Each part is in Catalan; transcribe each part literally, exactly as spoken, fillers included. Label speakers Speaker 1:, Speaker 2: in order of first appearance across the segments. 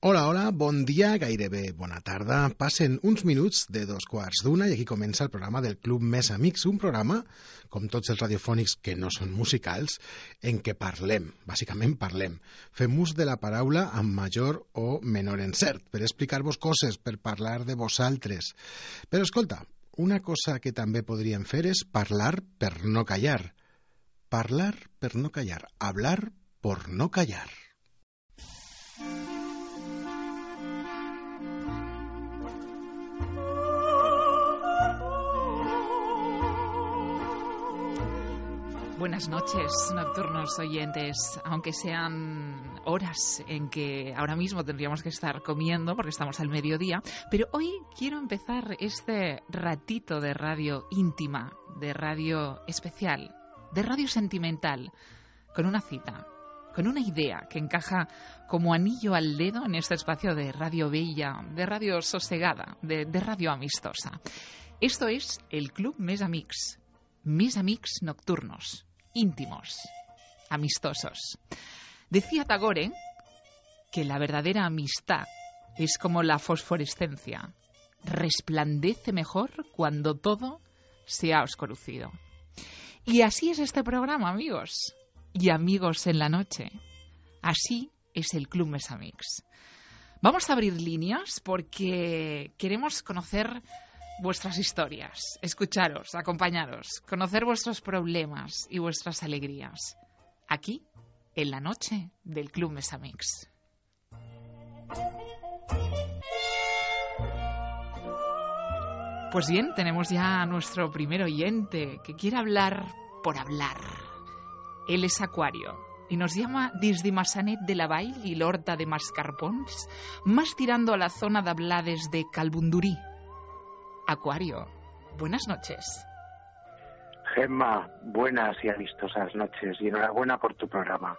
Speaker 1: Hola, hola, bon dia, gairebé bona tarda. Passen uns minuts de dos quarts d'una i aquí comença el programa del Club Més Amics, un programa, com tots els radiofònics que no són musicals, en què parlem, bàsicament parlem. Fem ús de la paraula amb major o menor encert, per explicar-vos coses, per parlar de vosaltres. Però escolta, una cosa que també podríem fer és parlar per no callar. Parlar per no callar. Hablar por no callar.
Speaker 2: Buenas noches, nocturnos oyentes, aunque sean horas en que ahora mismo tendríamos que estar comiendo porque estamos al mediodía, pero hoy quiero empezar este ratito de radio íntima, de radio especial, de radio sentimental, con una cita, con una idea que encaja como anillo al dedo en este espacio de radio bella, de radio sosegada, de, de radio amistosa. Esto es el Club Més Amics, Més Amics nocturnos. Íntimos, amistosos. Decía Tagore que la verdadera amistad es como la fosforescencia, resplandece mejor cuando todo se ha oscurecido. Y así es este programa, amigos y amigos en la noche. Así es el Club Més Amics. Vamos a abrir líneas porque queremos conocer vuestras historias, escucharos, acompañaros, conocer vuestros problemas y vuestras alegrías. Aquí, en la noche del Club Més Amics. Pues bien, tenemos ya a nuestro primer oyente que quiere hablar por hablar. Él es Acuario y nos llama desde Massanet de la Vall y l'Horta de Mascarpons, más tirando a la zona de Blades de Calbundurí. Acuario, buenas noches.
Speaker 3: Gemma, buenas y amistosas noches y enhorabuena por tu programa.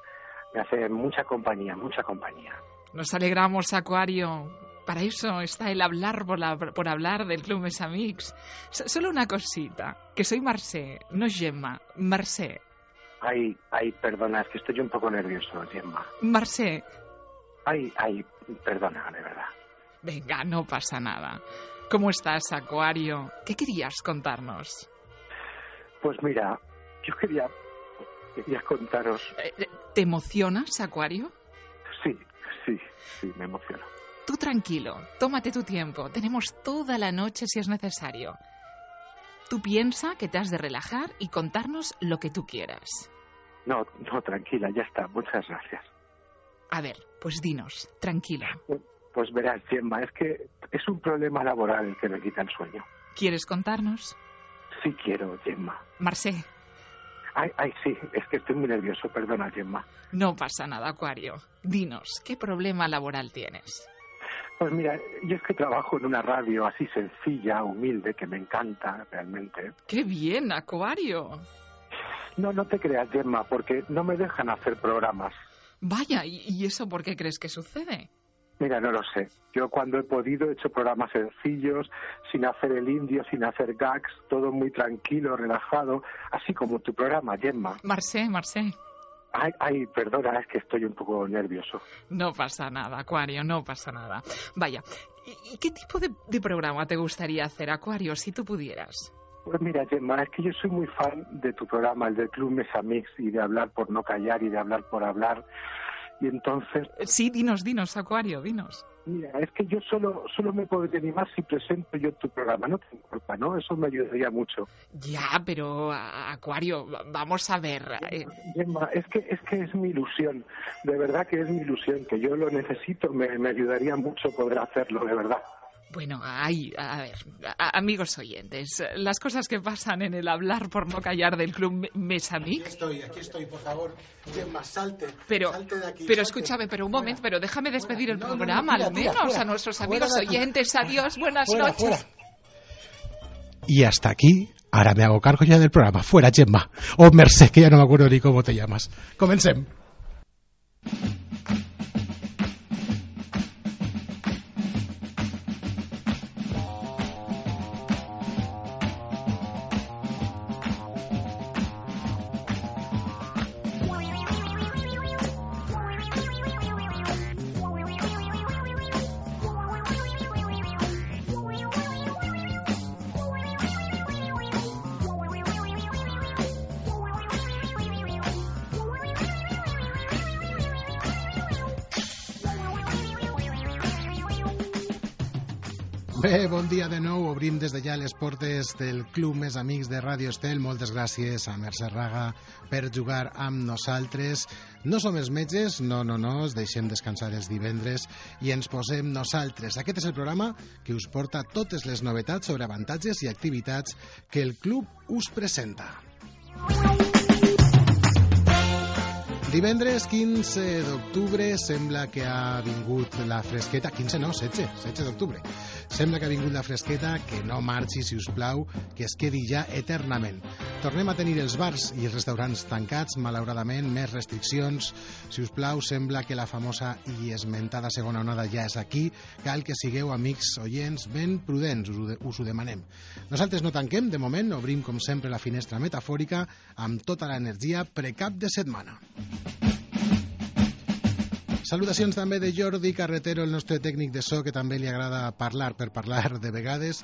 Speaker 3: Me hace mucha compañía, mucha compañía.
Speaker 2: Nos alegramos, Acuario. Para eso está el hablar por, la, por hablar del Club Més Amics. S- solo una cosita, que soy Mercè, no Gemma, Mercè.
Speaker 3: Ay, ay, perdona, es que estoy un poco nervioso, Gemma.
Speaker 2: Mercè.
Speaker 3: Ay, ay, perdona, de verdad.
Speaker 2: Venga, no pasa nada. ¿Cómo estás, Acuario? ¿Qué querías contarnos?
Speaker 3: Pues mira, yo quería, quería contaros...
Speaker 2: ¿Te emocionas, Acuario?
Speaker 3: Sí, sí, sí, me emociono.
Speaker 2: Tú tranquilo, tómate tu tiempo. Tenemos toda la noche si es necesario. Tú piensa que te has de relajar y contarnos lo que tú quieras.
Speaker 3: No, no, tranquila, ya está, muchas gracias.
Speaker 2: A ver, pues dinos, tranquila.
Speaker 3: Pues verás, Gemma, es que es un problema laboral el que me quita el sueño.
Speaker 2: ¿Quieres contarnos?
Speaker 3: Sí quiero, Gemma.
Speaker 2: Mercè.
Speaker 3: Ay, ay, sí, es que estoy muy nervioso, perdona, Gemma.
Speaker 2: No pasa nada, Acuario. Dinos, ¿qué problema laboral tienes?
Speaker 3: Pues mira, yo es que trabajo en una radio así sencilla, humilde, que me encanta realmente.
Speaker 2: ¡Qué bien, Acuario!
Speaker 3: No, no te creas, Gemma, porque no me dejan hacer programas.
Speaker 2: Vaya, ¿y, y eso por qué crees que sucede?
Speaker 3: Mira, no lo sé. Yo cuando he podido he hecho programas sencillos, sin hacer el indio, sin hacer gags, todo muy tranquilo, relajado, así como tu programa, Gemma.
Speaker 2: Mercè, Mercè.
Speaker 3: Ay, ay, perdona, es que estoy un poco nervioso.
Speaker 2: No pasa nada, Acuario, no pasa nada. Vaya, ¿y, y qué tipo de, de programa te gustaría hacer, Acuario, si tú pudieras?
Speaker 3: Pues mira, Gemma, es que yo soy muy fan de tu programa, el del Club Més Amics, y de hablar por no callar y de hablar por hablar. Y entonces...
Speaker 2: Sí, dinos, dinos, Acuario, dinos.
Speaker 3: Mira, es que yo solo solo me podré animar si presento yo tu programa, no te importa, ¿no? Eso me ayudaría mucho.
Speaker 2: Ya, pero, Acuario, vamos a ver... Eh...
Speaker 3: Gemma, es que, es que es mi ilusión, de verdad que es mi ilusión, que yo lo necesito, me, me ayudaría mucho poder hacerlo, de verdad.
Speaker 2: Bueno, ay, a ver, a, amigos oyentes, las cosas que pasan en el hablar por no callar del Club Més Amics.
Speaker 1: Aquí estoy, aquí estoy, por favor. Gemma, salte.
Speaker 2: Pero,
Speaker 1: salte de aquí,
Speaker 2: pero
Speaker 1: salte.
Speaker 2: escúchame, pero un momento, pero déjame despedir
Speaker 1: fuera.
Speaker 2: el
Speaker 1: No, no, no,
Speaker 2: programa,
Speaker 1: tira,
Speaker 2: al
Speaker 1: tira,
Speaker 2: menos
Speaker 1: fuera.
Speaker 2: a nuestros
Speaker 1: Fuera
Speaker 2: amigos
Speaker 1: de aquí.
Speaker 2: oyentes. Adiós, buenas
Speaker 1: Fuera,
Speaker 2: noches.
Speaker 1: fuera. Y hasta aquí, ahora me hago cargo ya del programa. Fuera, Gemma. O Mercè, que ya no me acuerdo ni cómo te llamas. Comencem. Bé, bon dia de nou. Obrim des de ja les portes del Club Més Amics de Ràdio Estel. Moltes gràcies a Mercè Raga per jugar amb nosaltres. No som els metges, no, no, no, els deixem descansar els divendres i ens posem nosaltres. Aquest és el programa que us porta totes les novetats sobre avantatges i activitats que el club us presenta. Divendres quinze d'octubre sembla que ha vingut la fresqueta. quinze no, setze, setze d'octubre. Sembla que ha vingut la fresqueta, que no marxi, si us plau, que es quedi ja eternament. Tornem a tenir els bars i els restaurants tancats, malauradament, més restriccions. Si us plau, sembla que la famosa i esmentada segona onada ja és aquí. Cal que sigueu, amics oients, ben prudents, us ho, de, us ho demanem. Nosaltres no tanquem, de moment, obrim com sempre la finestra metafòrica amb tota l'energia precap de setmana. Salutacions també de Jordi Carretero, el nostre tècnic de so, que també li agrada parlar per parlar de vegades,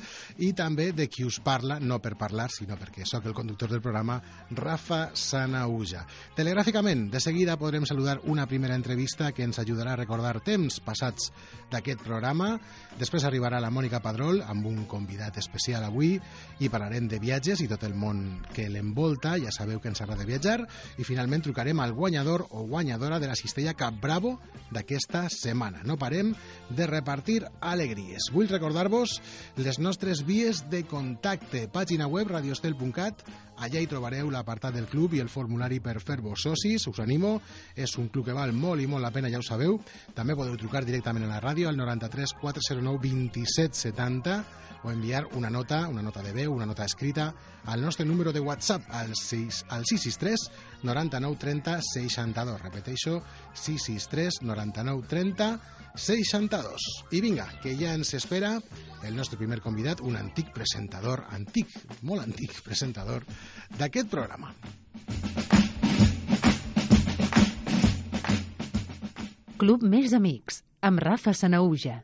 Speaker 1: i també de qui us parla, no per parlar, sinó perquè sóc el conductor del programa, Rafa Sanauja. Telegràficament, de seguida podrem saludar una primera entrevista que ens ajudarà a recordar temps passats d'aquest programa. Després arribarà la Mònica Padrol amb un convidat especial avui i parlarem de viatges i tot el món que l'envolta. Ja sabeu que ens agrada viatjar. I finalment trucarem al guanyador o guanyadora de la cistella Cap Bravo d'aquesta setmana. No parem de repartir alegries. Vull recordar-vos les nostres vies de contacte. Pàgina web radiostel punt cat. Allà hi trobareu l'apartat del club i el formulari per fer-vos socis. Us animo. És un club que val molt i molt la pena, ja ho sabeu. També podeu trucar directament a la ràdio al noranta-tres quatre zero nou vint set setanta o enviar una nota, una nota de veu, una nota escrita al nostre número de WhatsApp al sis sis tres noranta-nou trenta seixanta-dos. Repeteixo, sis sis tres noranta-nou trenta seixanta-dos. I vinga, que ja ens espera el nostre primer convidat, un antic presentador, antic, molt antic presentador d'aquest programa.
Speaker 4: Club Més Amics, amb Rafa Sanauja.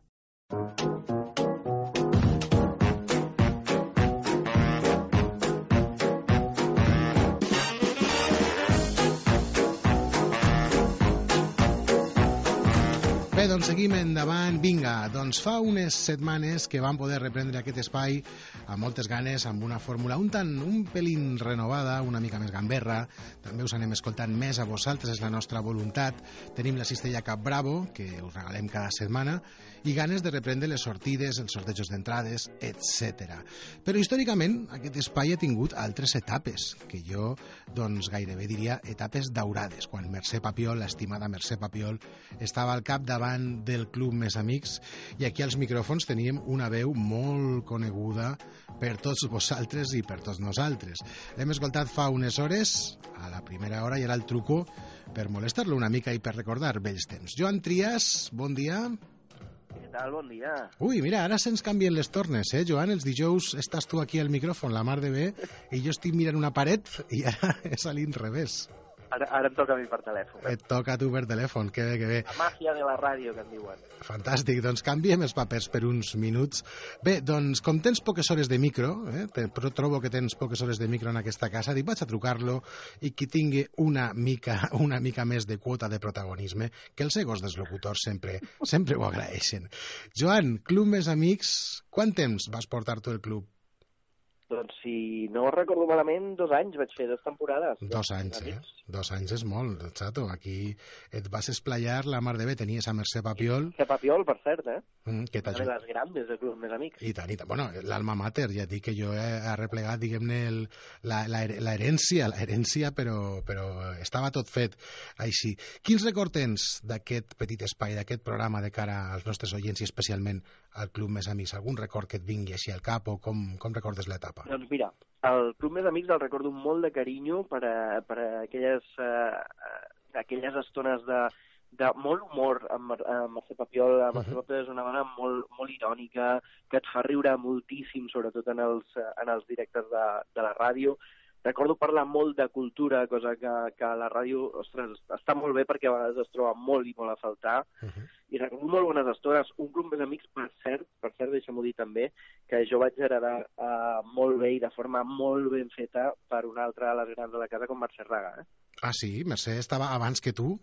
Speaker 1: Bé, doncs seguim endavant. Vinga, doncs fa unes setmanes que vam poder reprendre aquest espai amb moltes ganes, amb una fórmula un tant, un pelín renovada, una mica més gamberra. També us anem escoltant més a vosaltres, és la nostra voluntat. Tenim la cistella Cap Bravo, que us regalem cada setmana, i ganes de reprendre les sortides, els sortejos d'entrades, etcètera. Però històricament aquest espai ha tingut altres etapes, que jo doncs gairebé diria etapes daurades, quan Mercè Papiol, l'estimada Mercè Papiol, estava al capdavant del Club Més Amics, i aquí als micròfons teníem una veu molt coneguda per tots vosaltres i per tots nosaltres. L'hem escoltat fa unes hores, a la primera hora, i era el truco per molestar-lo una mica i per recordar vells temps. Joan Trias, bon dia.
Speaker 5: Què tal? Bon dia.
Speaker 1: Ui, mira, ara se'ns canvien les tornes, eh, Joan? Els dijous estàs tu aquí al micròfon, la mar de bé, i jo estic mirant una paret i ara és a l'inrevés.
Speaker 5: Ara, ara em toca a mi per telèfon. Eh?
Speaker 1: Et toca a tu per telèfon, que bé, que bé.
Speaker 5: La màgia de la ràdio, que en diuen.
Speaker 1: Fantàstic, doncs canviem els papers per uns minuts. Bé, doncs com tens poques hores de micro, eh, però trobo que tens poques hores de micro en aquesta casa, dic, vaig a trucar-lo i qui tingui una mica, una mica més de quota de protagonisme, que els egos dels locutors sempre, sempre ho agraeixen. Joan, Club Més Amics, quant temps vas portar tu el club?
Speaker 5: Doncs si no recordo malament, dos anys vaig fer, dues temporades.
Speaker 1: Dos anys, eh? Dos anys és molt, xato. Aquí et vas esplayar la mar de bé. Tenies a Mercè Papiol.
Speaker 5: Mercè Papiol, per cert, eh?
Speaker 1: Mm, que
Speaker 5: una de les grandes de Club Més Amics.
Speaker 1: I tant, i tant. Bueno, l'alma mater, ja et dic que jo he arreplegat, diguem-ne, l'herència, l'herència, però, però estava tot fet així. Quins record tens d'aquest petit espai, d'aquest programa de cara als nostres oients i especialment al Club Més Amics? Algun record que et vingui així al cap o com, com recordes l'etapa?
Speaker 5: Doncs mira, el Club Més Amics el recordo molt de carinyo per a, per a aquelles, uh, aquelles estones de, de molt humor amb, amb Mercè Papiol. Uh -huh. Mercè Papiol és una dona molt, molt irònica, que et fa riure moltíssim, sobretot en els, en els directes de, de la ràdio. Recordo parlar molt de cultura, cosa que, que a la ràdio, ostres, està molt bé perquè a vegades es troba molt i molt a faltar. Uh -huh. I recordo molt bones estones. Un Club Més Amics, per cert, per cert, deixa'm-ho dir també, que jo vaig heredar uh, molt bé i de forma molt ben feta per una altra de les grans de la casa, com Mercè Raga. Eh?
Speaker 1: Ah, sí? Mercè estava abans que tu?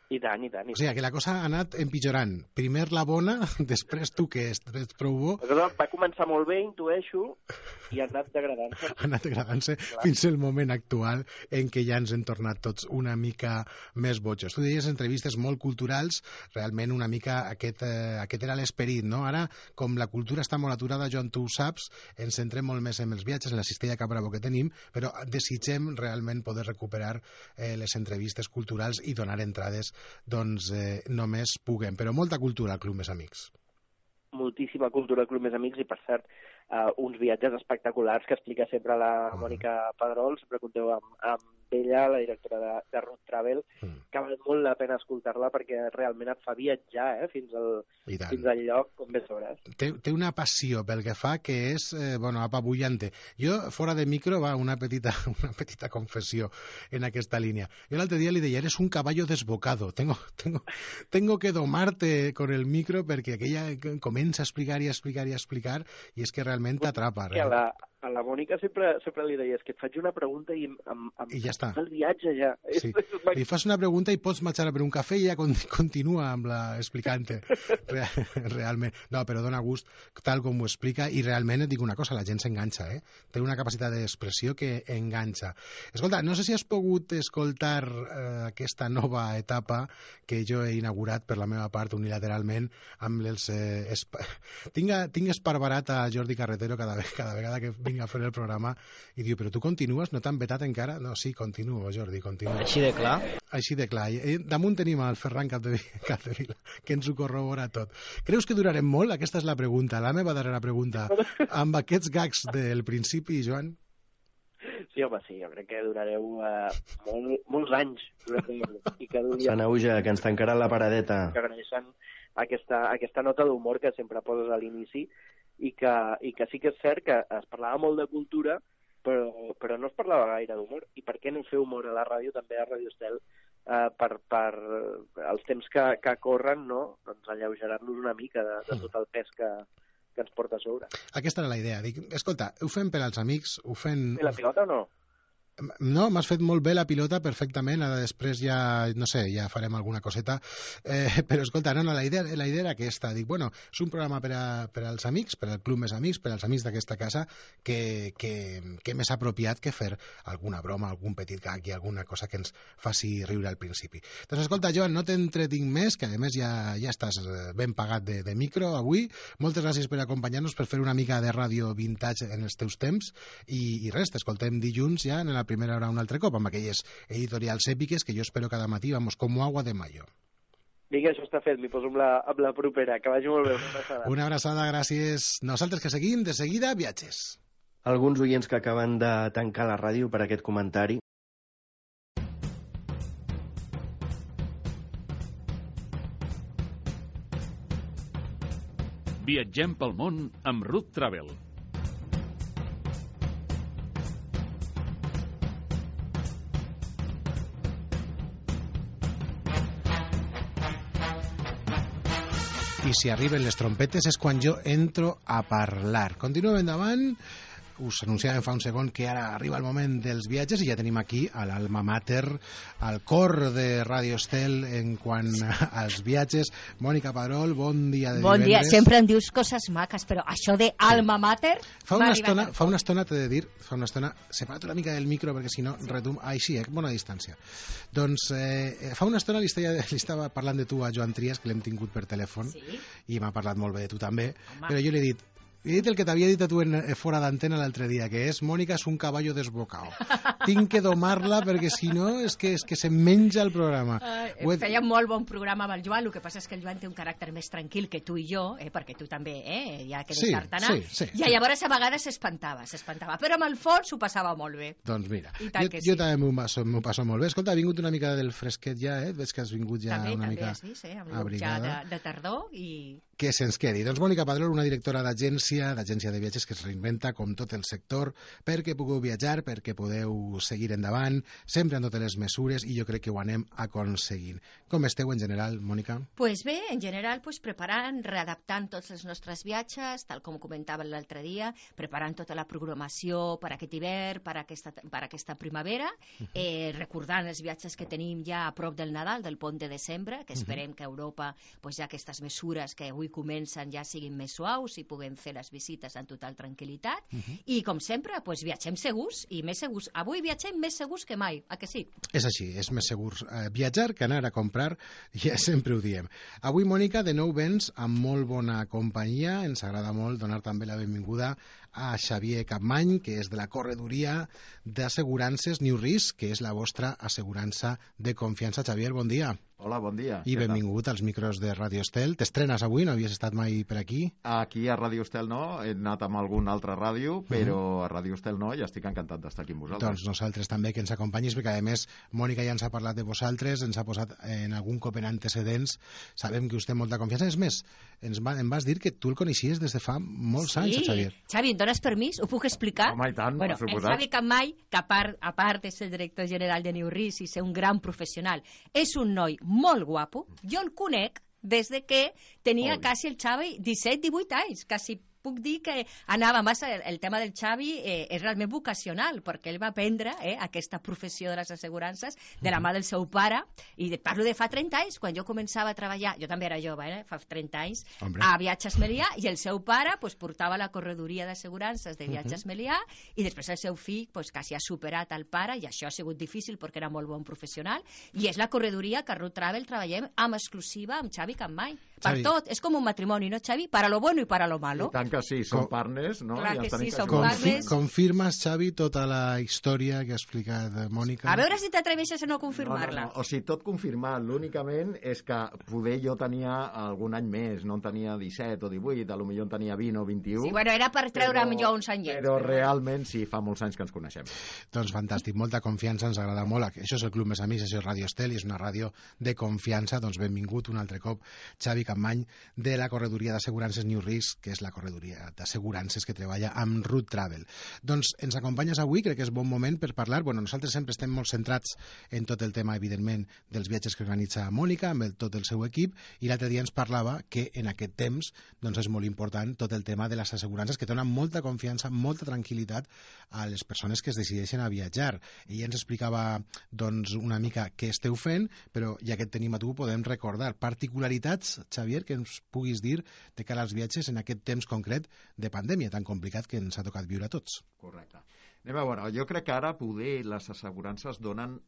Speaker 5: I tant, i tant. I
Speaker 1: o sigui, que la cosa ha anat empitjorant. Primer la bona, després tu, que ets prou bo...
Speaker 5: La cosa va començar molt bé, intueixo, i ha anat degradant-se.
Speaker 1: Ha anat degradant-se fins al moment actual en què ja ens hem tornat tots una mica més bojos. Tu deies entrevistes molt culturals, realment una mica aquest, eh, aquest era l'esperit, no? Ara, com la cultura està molt aturada, Joan, tu ho saps, ens centrem molt més en els viatges, en la cistella Cap Bravo que tenim, però desitgem realment poder recuperar eh, les entrevistes culturals i donar entrades doncs eh, només puguem, però molta cultura al Club Més Amics.
Speaker 5: Moltíssima cultura al Club Més Amics i, per cert, uh, uns viatges espectaculars que explica sempre la
Speaker 1: Mm.
Speaker 5: Mònica Pedrol, sempre conteu amb, amb ella, la directora de, de Root Travel,
Speaker 1: Mm.
Speaker 5: que val molt la pena escoltar-la perquè realment et fa viatjar eh, fins, al,
Speaker 1: I tant.
Speaker 5: fins al lloc com bé sabràs.
Speaker 1: Té, té una passió pel que fa que és, eh, bueno, apabullante. Jo, fora de micro, va una petita, una petita confessió en aquesta línia. Jo l'altre dia li deia, eres un caballo desbocado, tengo, tengo, tengo que domarte con el micro perquè aquella comença a explicar i a explicar i a explicar i és que realment t'atrapa.
Speaker 5: Que a la, a la Mònica sempre, sempre li deies que et faig una pregunta i, amb, amb,
Speaker 1: I ja està.
Speaker 5: el viatge ja.
Speaker 1: Sí. Li fas una pregunta i pots marxar a per un cafè i ja continua amb la explicant-te realment. No, però dona gust tal com ho explica i realment et dic una cosa, la gent s'enganxa, eh? Té una capacitat d'expressió que enganxa. Escolta, no sé si has pogut escoltar eh, aquesta nova etapa que jo he inaugurat per la meva part unilateralment amb els... Eh, esp... tinc, tinc esparverat a Jordi Carretero cada, cada vegada que vinc a fer el programa i diu, però tu continues? No t'han vetat encara? No, sí, continuo, Jordi, continuo.
Speaker 6: Així de clar?
Speaker 1: Així de clar. I damunt tenim el Ferran Capdevila, Capdevila, que ens ho corrobora tot. Creus que durarem molt? Aquesta és la pregunta, la meva darrera pregunta. Amb aquests gags del principi, Joan?
Speaker 5: Sí, home, sí, jo crec que durareu uh, molt, molts anys. Durareu, i que duri...
Speaker 6: Sant Auge, que ens tancarà la paradeta.
Speaker 5: Que agraeixen aquesta, aquesta nota d'humor que sempre poses a l'inici i que, i que sí que és cert que es parlava molt de cultura, però, però no es parlava gaire d'humor. I per què no fer humor a la ràdio, també a Radio Estel, eh, per, per els temps que, que corren, no? Doncs alleugerar-nos una mica de, de tot el pes que, que ens porta a sobre.
Speaker 1: Aquesta era la idea. Dic, escolta, ho fem per als amics, ho fem...
Speaker 5: Fer la pilota o no?
Speaker 1: No, m'has fet molt bé la pilota perfectament, ara després ja, no sé, ja farem alguna coseta, eh, però escolta, no, no, la idea, la idea era aquesta, dic, bueno, és un programa per, a, per als amics, per al Club Més Amics, per als amics d'aquesta casa, que, que, que més apropiat que fer alguna broma, algun petit gag i alguna cosa que ens faci riure al principi. Doncs escolta, Joan, no t'entretinc més, que a més ja, ja estàs ben pagat de, de micro avui, moltes gràcies per acompanyar-nos, per fer una mica de ràdio vintage en els teus temps, i, i res, t'escoltem dilluns ja en la primera hora un altre cop, amb aquelles editorials èpiques que jo espero cada matí, vamos, com agua de mayo.
Speaker 5: Vinga, això està fet, m'hi poso amb la, amb la propera, que vagi molt bé, una abraçada.
Speaker 1: Una abraçada, gràcies. Nosaltres que seguim, de seguida, viatges.
Speaker 6: Alguns oients que acaben de tancar la ràdio per aquest comentari.
Speaker 7: Viatgem pel món amb Root Travel.
Speaker 1: I si arriben les trompetes és quan jo entro a parlar. Continuem endavant. Us anunciàvem fa un segon que ara arriba el moment dels viatges i ja tenim aquí a l'alma mater, al cor de Radio Estel en quant als viatges. Mònica Pedrol, bon dia de
Speaker 8: bon
Speaker 1: divendres.
Speaker 8: Bon dia, sempre em dius coses maques, però això de alma mater...
Speaker 1: Fa una estona, fa una estona t'he de dir, fa una estona, separa't una mica del micro perquè si no retum... Ai, sí, eh, bona distància. Doncs eh, fa una estona li estava, li estava parlant de tu a Joan Trias, que l'hem tingut per telèfon,
Speaker 8: sí?
Speaker 1: I m'ha parlat molt bé de tu també,
Speaker 8: home.
Speaker 1: Però jo li he dit, he dit el que t'havia dit a tu en, fora d'antena l'altre dia, que és Mònica és un caballo desbocado. Tinc que domar-la perquè si no és que, és que se menja el programa.
Speaker 8: Uh, feia molt bon programa amb el Joan, el que passa és que el Joan té un caràcter més tranquil que tu i jo, eh, perquè tu també, eh, ja que eres
Speaker 1: sí,
Speaker 8: tartana,
Speaker 1: sí, sí,
Speaker 8: i llavors a vegades s'espantava, s'espantava, però amb el fons ho passava molt bé.
Speaker 1: Doncs mira, jo,
Speaker 8: sí.
Speaker 1: jo també m'ho passo, passo molt bé. Escolta, ha vingut una mica del fresquet ja, eh? Veig que has vingut ja
Speaker 8: també,
Speaker 1: una
Speaker 8: també
Speaker 1: mica
Speaker 8: has vist, eh? Amb
Speaker 1: abrigada.
Speaker 8: Ja de, de tardor i...
Speaker 1: Que se'ns quedi. Doncs Mònica Pedrol, una directora d'agència agència, d'agència de viatges que es reinventa com tot el sector perquè pugueu viatjar, perquè podeu seguir endavant, sempre amb totes les mesures, i jo crec que ho anem aconseguint. Com esteu en general, Mònica?
Speaker 8: Pues bé, en general, pues preparant, readaptant tots els nostres viatges, tal com comentàvem l'altre dia, preparant tota la programació per aquest hivern, per aquesta, per aquesta primavera, uh-huh. eh, recordant els viatges que tenim ja a prop del Nadal, del pont de desembre, que esperem uh-huh. que a Europa pues, ja aquestes mesures que avui comencen ja siguin més suaus i puguem fer les visites en total tranquil·litat. Uh-huh. I, com sempre, pues, viatgem segurs i més segurs. Avui viatgem més segurs que mai, a que sí?
Speaker 1: És així, és més segur eh, viatjar que anar a comprar, ja sempre ho diem. Avui, Mònica, de nou vens amb molt bona companyia. Ens agrada molt donar també la benvinguda a Xavier Capmany, que és de la corredoria d'assegurances New Risk, que és la vostra assegurança de confiança. Xavier, bon dia.
Speaker 9: Hola, bon dia.
Speaker 1: I benvingut als micros de Radio Estel. T'estrenes avui? No havies estat mai per aquí?
Speaker 9: Aquí a Radio Estel no, he anat amb algun altre ràdio, però uh-huh. a Radio Estel no, i estic encantat d'estar aquí amb vosaltres.
Speaker 1: Doncs nosaltres també, que ens acompanyis, perquè a més Mònica ja ens ha parlat de vosaltres, ens ha posat en algun cop en antecedents, sabem que us té molta confiança. És més, ens va, em vas dir que tu el coneixies des de fa molts
Speaker 8: sí.
Speaker 1: anys, Xavier.
Speaker 8: Xavi, em dones permís? Ho puc explicar?
Speaker 9: Home, i tant,
Speaker 8: bueno,
Speaker 9: per suposat.
Speaker 8: El Xavi Capmany, que a part, a part és el director general de New Risk i ser un gran professional, és un noi molt guapo. Jo el conec des de que tenia Oi. quasi el Xavi disset divuit anys, quasi puc dir que anava massa, el, el tema del Xavi eh, és realment vocacional, perquè ell va aprendre eh, aquesta professió de les assegurances de la mà del seu pare, i de, parlo de fa trenta anys, quan jo començava a treballar, jo també era jove, eh, fa trenta anys, Hombre. a Viatges Melià, i el seu pare pues, portava la corredoria d'assegurances de Viatges uh-huh. Melià, i després el seu fill pues, quasi ha superat el pare, i això ha sigut difícil perquè era molt bon professional, i és la corredoria que a Root Travel treballem amb exclusiva amb Xavi Capmany. Per
Speaker 1: Xavi.
Speaker 8: tot, és com un matrimoni, no, Xavi? Para lo bueno i para lo malo.
Speaker 9: I tant que sí, som partners, no?
Speaker 8: Clar que sí, som
Speaker 1: Confi
Speaker 8: partners.
Speaker 1: Confirmes, Xavi, tota la història que ha explicat Mònica?
Speaker 8: A veure si t'atreveixes a no confirmar-la.
Speaker 9: No, no, no. O sigui, tot confirmat. L'únicament és que poder jo tenia algun any més, no en tenia disset o divuit, a lo millor en tenia vint o vint-i-u.
Speaker 8: Sí, bueno, era per treure'm jo uns anyets.
Speaker 9: Però realment sí, fa molts anys que ens coneixem.
Speaker 1: Doncs fantàstic, molta confiança, ens agrada molt. Això és el Club Més Amics, això és Radio Estel, i és una ràdio de confiança. Doncs benvingut un altre cop, Xavi Capmany, de la corredoria d'assegurances New Risk, que és la corredoria d'assegurances que treballa amb Root Travel. Doncs ens acompanyes avui, crec que és bon moment per parlar. Bueno, nosaltres sempre estem molt centrats en tot el tema, evidentment, dels viatges que organitza Mònica, amb el, tot el seu equip, i l'altre dia ens parlava que en aquest temps doncs és molt important tot el tema de les assegurances, que donen molta confiança, molta tranquil·litat a les persones que es decideixen a viatjar. Ella ens explicava doncs, una mica què esteu fent, però ja que et tenim a tu podem recordar particularitats, Xavier, que ens puguis dir de cara als viatges en aquest temps concret de pandèmia tan complicat que ens ha tocat viure a tots.
Speaker 9: Correcte. Anem a veure, jo crec que ara poder les assegurances donen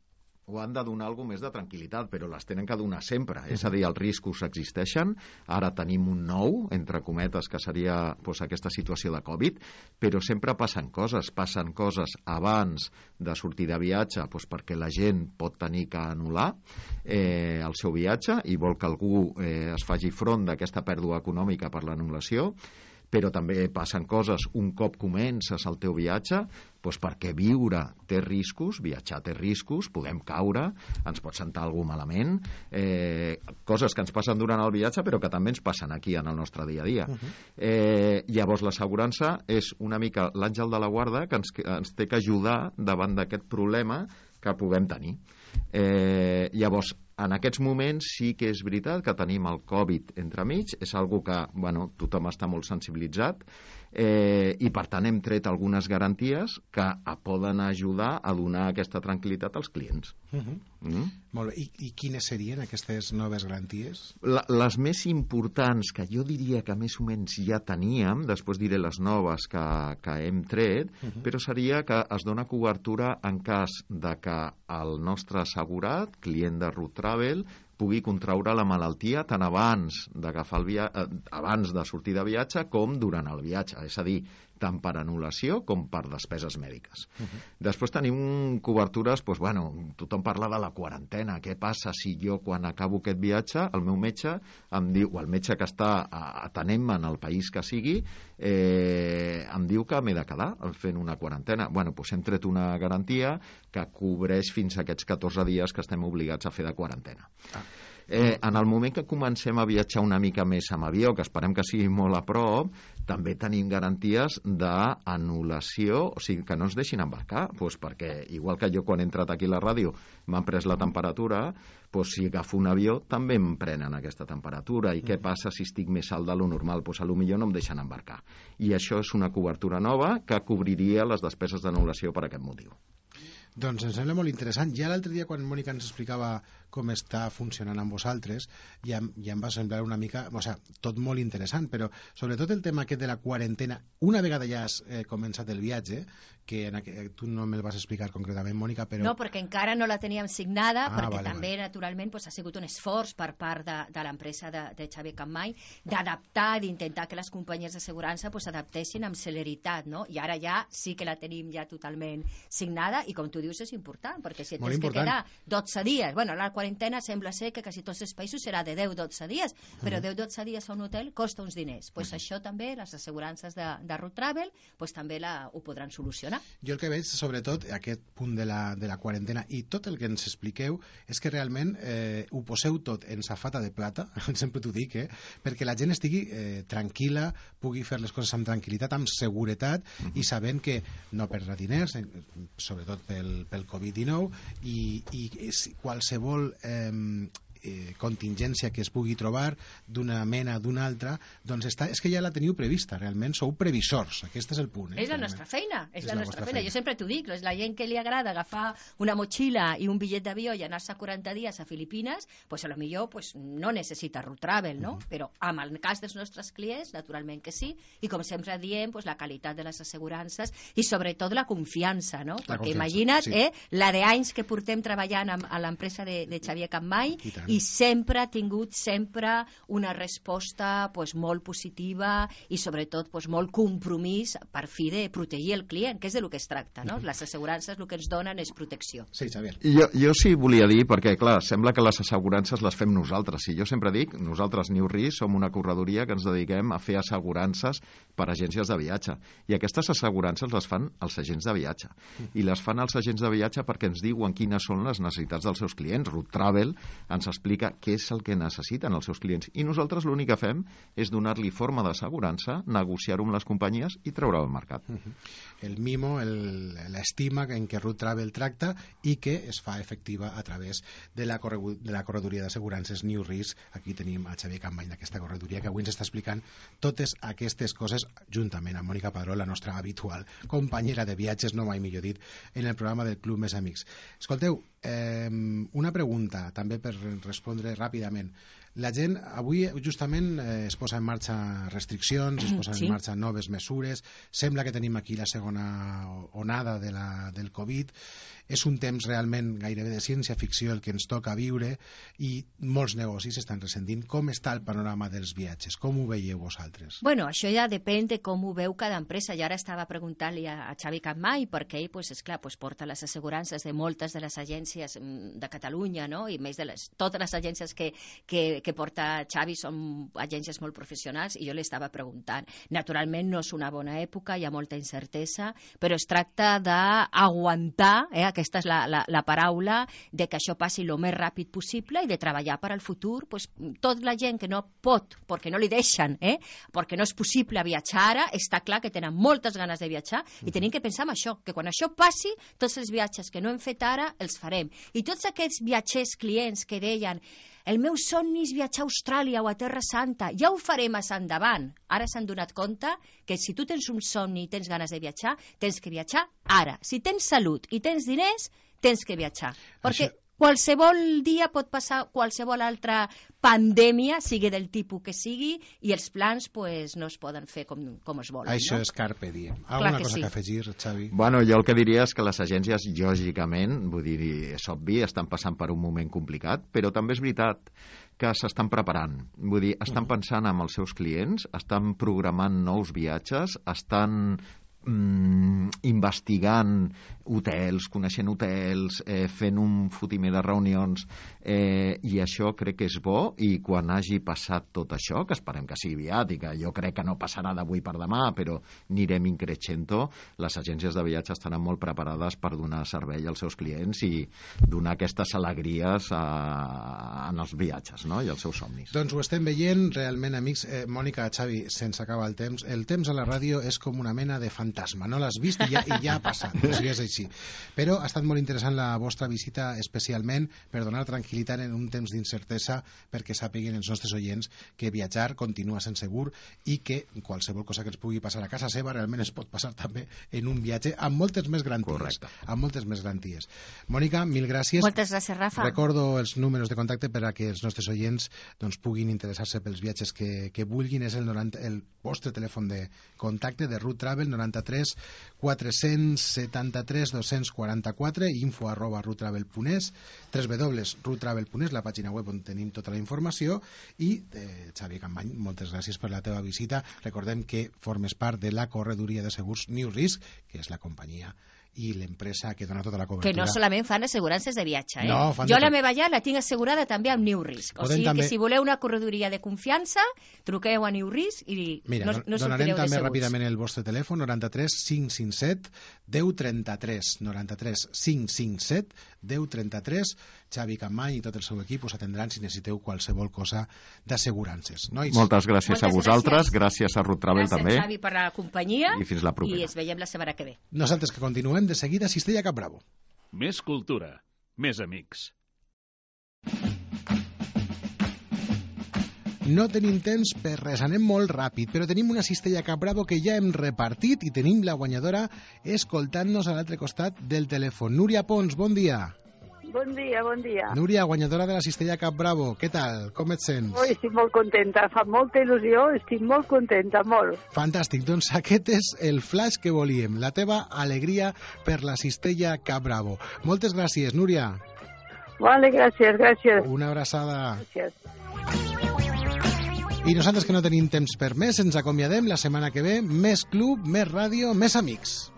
Speaker 9: o han de donar alguna més de tranquil·litat, però les tenen que donar sempre. Uh-huh. És a dir, els riscos existeixen, ara tenim un nou, entre cometes, que seria pues, aquesta situació de Covid, però sempre passen coses. Passen coses abans de sortir de viatge pues, perquè la gent pot tenir que anul·lar eh, el seu viatge i vol que algú eh, es faci front d'aquesta pèrdua econòmica per l'anul·lació, però també passen coses un cop comences el teu viatge, doncs perquè viure té riscos, viatjar té riscos, podem caure, ens pot sentar algú malament, eh, coses que ens passen durant el viatge però que també ens passen aquí en el nostre dia a dia. Uh-huh. eh, llavors l'assegurança és una mica l'àngel de la guarda que ens, ens té que ajudar davant d'aquest problema que puguem tenir. Eh, llavors, en aquests moments sí que és veritat que tenim el Covid entremig, és algo que bueno, tothom està molt sensibilitzat, eh, i per tant hem tret algunes garanties que poden ajudar a donar aquesta tranquil·litat als clients.
Speaker 1: Uh-huh. Mm? Molt bé. I, I quines serien aquestes noves garanties?
Speaker 9: La, les més importants, que jo diria que més o menys ja teníem, després diré les noves que, que hem tret, uh-huh. però seria que es dona cobertura en cas de que el nostre assegurat, client de Root Travel, pugui contraure la malaltia tant abans d'agafar el via... abans de sortir de viatge com durant el viatge, és a dir, tant per anul·lació com per despeses mèdiques. Uh-huh. Després tenim cobertures, doncs, bueno, tothom parla de la quarantena. Què passa si jo, quan acabo aquest viatge, el meu metge em diu, o el metge que està atenent-me en el país que sigui, eh, em diu que m'he de quedar fent una quarantena. Bueno, doncs hem tret una garantia que cobreix fins a aquests catorze dies que estem obligats a fer de quarantena. Ah. Eh, en el moment que comencem a viatjar una mica més amb avió, que esperem que sigui molt a prop, també tenim garanties d'anul·lació, o sigui, que no ens deixin embarcar, doncs perquè, igual que jo quan he entrat aquí a la ràdio m'han pres la temperatura, doncs si agafo un avió també em prenen aquesta temperatura. I què passa si estic més alt de lo normal? Doncs potser no em deixen embarcar. I això és una cobertura nova que cobriria les despeses d'anul·lació per aquest motiu.
Speaker 1: Doncs em sembla molt interessant. Ja l'altre dia, quan Mònica ens explicava com està funcionant amb vosaltres, ja, ja em va semblar una mica... O sigui, tot molt interessant, però sobretot el tema aquest de la quarantena, una vegada ja has eh, començat el viatge, que en aqu... tu no me'l vas explicar concretament, Mònica, però...
Speaker 8: No, perquè encara no la teníem signada,
Speaker 1: ah,
Speaker 8: perquè
Speaker 1: vale,
Speaker 8: també,
Speaker 1: vale.
Speaker 8: naturalment, pues, ha sigut un esforç per part de, de l'empresa de, de Xavier Campmany d'adaptar, d'intentar que les companyies d'assegurança pues, adaptessin amb celeritat, no? I ara ja sí que la tenim ja totalment signada, i com tu dius és important, perquè si et
Speaker 1: molt
Speaker 8: tens
Speaker 1: important.
Speaker 8: que quedar dotze dies, bueno, la quarantena sembla ser que quasi tots els països serà de deu a dotze dies, però mm. deu a dotze dies a un hotel costa uns diners. Pues mm. això també, les assegurances de, de Root Travel, pues també la, ho podran solucionar.
Speaker 1: Jo el que veig, sobretot, aquest punt de la, de la quarantena i tot el que ens expliqueu, és que realment eh, ho poseu tot en safata de plata, sempre t'ho dic, eh, perquè la gent estigui eh, tranquil·la, pugui fer les coses amb tranquil·litat, amb seguretat, mm. i sabent que no perdrà diners, sobretot pel, pel covid dinou, i, i qualsevol eh, eh, contingència que es pugui trobar d'una mena o d'una altra, doncs està, és que ja la teniu prevista, realment sou previsors, aquest és el punt. Eh,
Speaker 8: és la
Speaker 1: realment.
Speaker 8: nostra feina, és,
Speaker 1: és
Speaker 8: la,
Speaker 1: la
Speaker 8: nostra
Speaker 1: feina.
Speaker 8: feina. Jo sempre t'ho dic, és la gent que li agrada agafar una motxilla i un bitllet d'avió i anar-se quaranta dies a Filipines, pues a lo millor pues, no necessita Root Travel, no? Uh -huh. Però amb el cas dels nostres clients, naturalment que sí, i com sempre diem, pues, la qualitat de les assegurances i sobretot la confiança, no?
Speaker 1: La
Speaker 8: Perquè
Speaker 1: confiança,
Speaker 8: imagina't,
Speaker 1: sí.
Speaker 8: eh, la d'anys que portem treballant amb, a l'empresa de, de Xavier Campmany
Speaker 1: I,
Speaker 8: i sempre ha tingut sempre una resposta pues, molt positiva i sobretot pues, molt compromís per fi de protegir el client, que és de lo que es tracta, no? Les assegurances el que ens donen és protecció.
Speaker 1: Sí, Xavier.
Speaker 9: Jo, jo sí volia dir, perquè clar, sembla que les assegurances les fem nosaltres, i jo sempre dic, nosaltres New Re som una corredoria que ens dediquem a fer assegurances per a agències de viatge, i aquestes assegurances les fan els agents de viatge, i les fan els agents de viatge perquè ens diuen quines són les necessitats dels seus clients. Root Travel ens explica què és el que necessiten els seus clients, i nosaltres l'únic que fem és donar-li forma d'assegurança, negociar-ho amb les companyies i treure-ho al mercat.
Speaker 1: Uh -huh. El mimo, l'estima en què Root Travel tracta i que es fa efectiva a través de la, corre de la corredoria d'assegurances New Risk. Aquí tenim a Xavier Campmany d'aquesta corredoria que avui ens està explicant totes aquestes coses juntament amb Mònica Padró, la nostra habitual companyera de viatges, no mai millor dit, en el programa del Club Més Amics. Escolteu, eh, una pregunta també per respondre ràpidament. La gent, avui justament eh, es posa en marxa restriccions, es posen sí. en marxa noves mesures, sembla que tenim aquí la segona onada de la, del Covid, és un temps realment gairebé de ciència-ficció el que ens toca viure i molts negocis estan ressentint. Com està el panorama dels viatges? Com ho veieu vosaltres?
Speaker 8: Bueno, això ja depèn de com ho veu cada empresa. Jo ara estava preguntant-li a, a Xavi Campmany perquè ell, pues, esclar, pues, porta les assegurances de moltes de les agències de Catalunya, no? I més de les, totes les agències que, que, que porta Xavi són agències molt professionals, i jo li estava preguntant. Naturalment no és una bona època, hi ha molta incertesa, però es tracta d'aguantar, eh, aquesta és la, la, la paraula, de que això passi el més ràpid possible i de treballar per al futur. Pues, tota la gent que no pot, perquè no li deixen, eh, perquè no és possible viatjar ara, està clar que tenen moltes ganes de viatjar, i tenim que pensar en això, que quan això passi, tots els viatges que no hem fet ara els farem. I tots aquests viatgers clients que deien el meu somni és viatjar a Austràlia o a Terra Santa, ja ho farem més endavant. Ara s'han donat compte que si tu tens un somni i tens ganes de viatjar, tens que viatjar ara. Si tens salut i tens diners, tens que viatjar. Perquè Això... qualsevol dia pot passar qualsevol altra pandèmia, sigui del tipus que sigui, i els plans pues, no es poden fer com, com es volen.
Speaker 1: Això
Speaker 8: no?
Speaker 1: és carpe diem. Alguna
Speaker 8: que
Speaker 1: cosa
Speaker 8: sí.
Speaker 1: que afegir, Xavi?
Speaker 9: Bueno, jo el que diria és que les agències, lògicament, vull dir, és obvi, estan passant per un moment complicat, però també és veritat que s'estan preparant. Vull dir, estan pensant en els seus clients, estan programant nous viatges, estan mm, investigant hotels, coneixent hotels, eh, fent un fotimer de reunions, eh, i això crec que és bo, i quan hagi passat tot això, que esperem que sigui aviat, i que jo crec que no passarà d'avui per demà, però anirem increixent, les agències de viatge estaran molt preparades per donar servei als seus clients i donar aquestes alegries a, en els viatges, no?, i als seus somnis.
Speaker 1: Doncs ho estem veient, realment, amics. Eh, Mònica, Xavi, sense acabar el temps. El temps a la ràdio és com una mena de fantasma. No l'has vist i ja, i ja ha passat. O sigui, és així. Però ha estat molt interessant la vostra visita, especialment per donar tranquil·litat en un temps d'incertesa, perquè sàpiguen els nostres oients que viatjar continua sent segur i que qualsevol cosa que ens pugui passar a casa seva realment es pot passar també en un viatge amb moltes més garanties.
Speaker 9: Correcte.
Speaker 1: Amb moltes més garanties. Mònica, mil gràcies.
Speaker 8: Moltes gràcies, Rafa.
Speaker 1: Recordo els números de contacte per a que els nostres oients doncs, puguin interessar-se pels viatges que, que vulguin. És el, noranta, el vostre telèfon de contacte de Root Travel, noranta-tres quatre-cents setanta-tres dos-cents quaranta-quatre, info arroba roottravel punt es, w w w punt roottravel punt es, la pàgina web on tenim tota la informació. I, eh, Xavi Campany, moltes gràcies per la teva visita. Recordem que formes part de la corredoria de segurs New Risk, que és la companyia i l'empresa que dona tota la cobertura.
Speaker 8: Que no solament fan assegurances de viatge, eh?
Speaker 1: No, fan
Speaker 8: jo
Speaker 1: de
Speaker 8: la
Speaker 1: tot.
Speaker 8: meva llar la tinc assegurada també amb New Risk. O
Speaker 1: Podem
Speaker 8: sigui
Speaker 1: també...
Speaker 8: que si voleu una corredoria de confiança, truqueu a New Risk i
Speaker 1: Mira,
Speaker 8: no, no
Speaker 1: donarem
Speaker 8: sortireu
Speaker 1: també
Speaker 8: decebuts.
Speaker 1: ràpidament el vostre telèfon, noranta-tres cinc cinc set deu trenta-tres, noranta-tres cinc cinc set deu trenta-tres. Xavi Campany i tot el seu equip us atendran si necessiteu qualsevol cosa d'assegurances. Nois?
Speaker 9: Moltes gràcies
Speaker 8: Moltes
Speaker 9: a vosaltres,
Speaker 8: gràcies.
Speaker 9: gràcies a Root Travel
Speaker 8: Gràcies,
Speaker 9: també,
Speaker 8: Xavi, per la companyia
Speaker 9: i fins la propera.
Speaker 8: i ens veiem la setmana que ve.
Speaker 1: Nosaltres que continuem de seguida a Cistella Cap Bravo.
Speaker 7: Més cultura, més amics.
Speaker 1: No tenim temps per res, anem molt ràpid, però tenim una cistella Cap Bravo que ja hem repartit i tenim la guanyadora escoltant-nos a l'altre costat del telèfon. Núria Pons, bon dia.
Speaker 10: Bon dia, bon dia.
Speaker 1: Núria, guanyadora de la cistella Cap Bravo, què tal? Com et sents?
Speaker 10: Oh, estic molt contenta, fa molta il·lusió, estic molt contenta, molt.
Speaker 1: Fantàstic, doncs aquest és el flash que volíem, la teva alegria per la cistella Cap Bravo. Moltes gràcies, Núria.
Speaker 10: Vale, gràcies, gràcies.
Speaker 1: Una abraçada.
Speaker 10: Gràcies.
Speaker 1: I nosaltres que no tenim temps per més, ens acomiadem la setmana que ve. Més club, més ràdio, més amics.